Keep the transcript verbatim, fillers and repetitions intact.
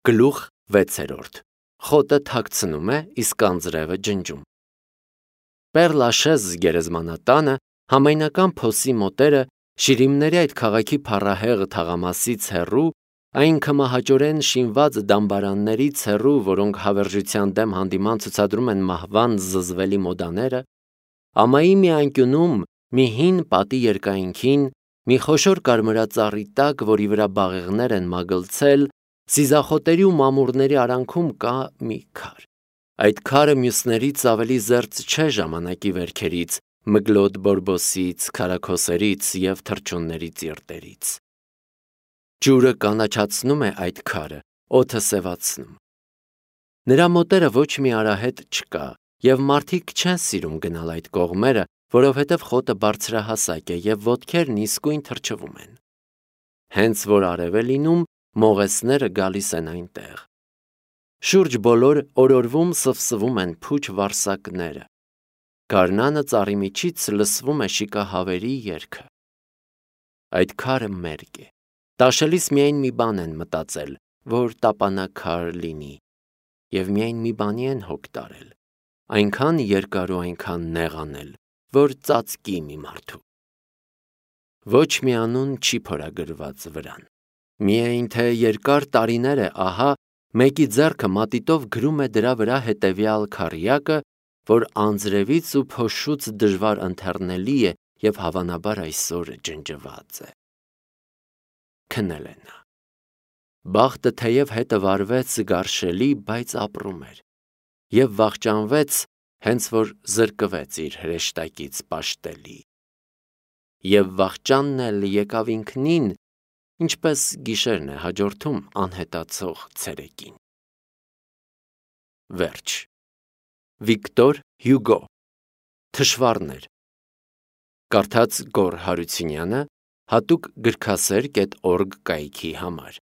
Գլուխ վեցերորդ. Խոտը թաքցնում է, իսկ անձրևը ջնջում։ Պեր-Լաշեզ գերեզմանատանը համայնական փոսի մոտերը Շիրիմների այդ քաղաքի փառահեղ թաղամասից հեռու, այն կմահաճորեն շինված դամբարաններից հեռու, որոնք հավերժության դեմ հանդիման ցուցադրում են մահվան զզվելի մոդաները, ամայի մի անկյունում, մի հին պատի երկայնքին, մի խոշոր կարմրածառի տակ, որի վրա բաղեղներ են մագլցել, սիզախոտերի ու մամուռների արանքում կա մի քար։ Այդ քարը մյուսներից ավելի զերծ չէ ժամանակի վերքերից, մգլոտ բորբոսից, քարաքոսերից և թռչունների ծիրտերից։ Ջուրը կանաչացնում է այդ քարը, օդը սևացնում։ Նրա մոտերը ոչ մի արահետ չկա, և մարդիկ չեն սիրում գնալ այդ կողմերը, որովհետև խոտը բարձրահասակ է և ոտքերն իսկույն թրջվում են։ Հենց որ արև է լինում, մողեսները գալիս են այնտեղ։ Շուրջ բոլոր օրորվում սվսվում են փուչ վարսակները։ Գարնանը ծառի միջից լսվում է շիկահավերի երգը։ Այդ քարը մերկ է։ Տաշելիս միայն մի բան են մտածել, որ տապանաքար լինի, և միայն մի բանի են հոգ տարել, այնքան երկար ու այնքան նեղանել, որ ծածկի մի մարդու։ Ոչ մի անուն չի փորագրված վրան։ Միայն թե երկար տարիներ է ահա, մեկի ձեռքը մատիտով գրում է դրա վրա հետևյալ քառյակը, որ անձրևից ու փոշուց դժվար ընթեռնելի է և հավանաբար այսօր ջնջված է։ Քնել է նա։ Բախտը թեև հետը վարվեց գարշելի, բայց ապրում էր, և վախճանվեց, հենց որ զրկվեց իր հրեշտակից պաշտելի։ Եվ վախճանն էլ եկավ ինքնին, ինչպես գիշերն է հաջորդում անհետացող ցերեկին։ Վերջ։ Վիկտոր Հյուգո Թշվառներ։ Կարդաց Գոռ Հարությունյանը, հատուկ գրքասեր կետ օրգ կայքի համար։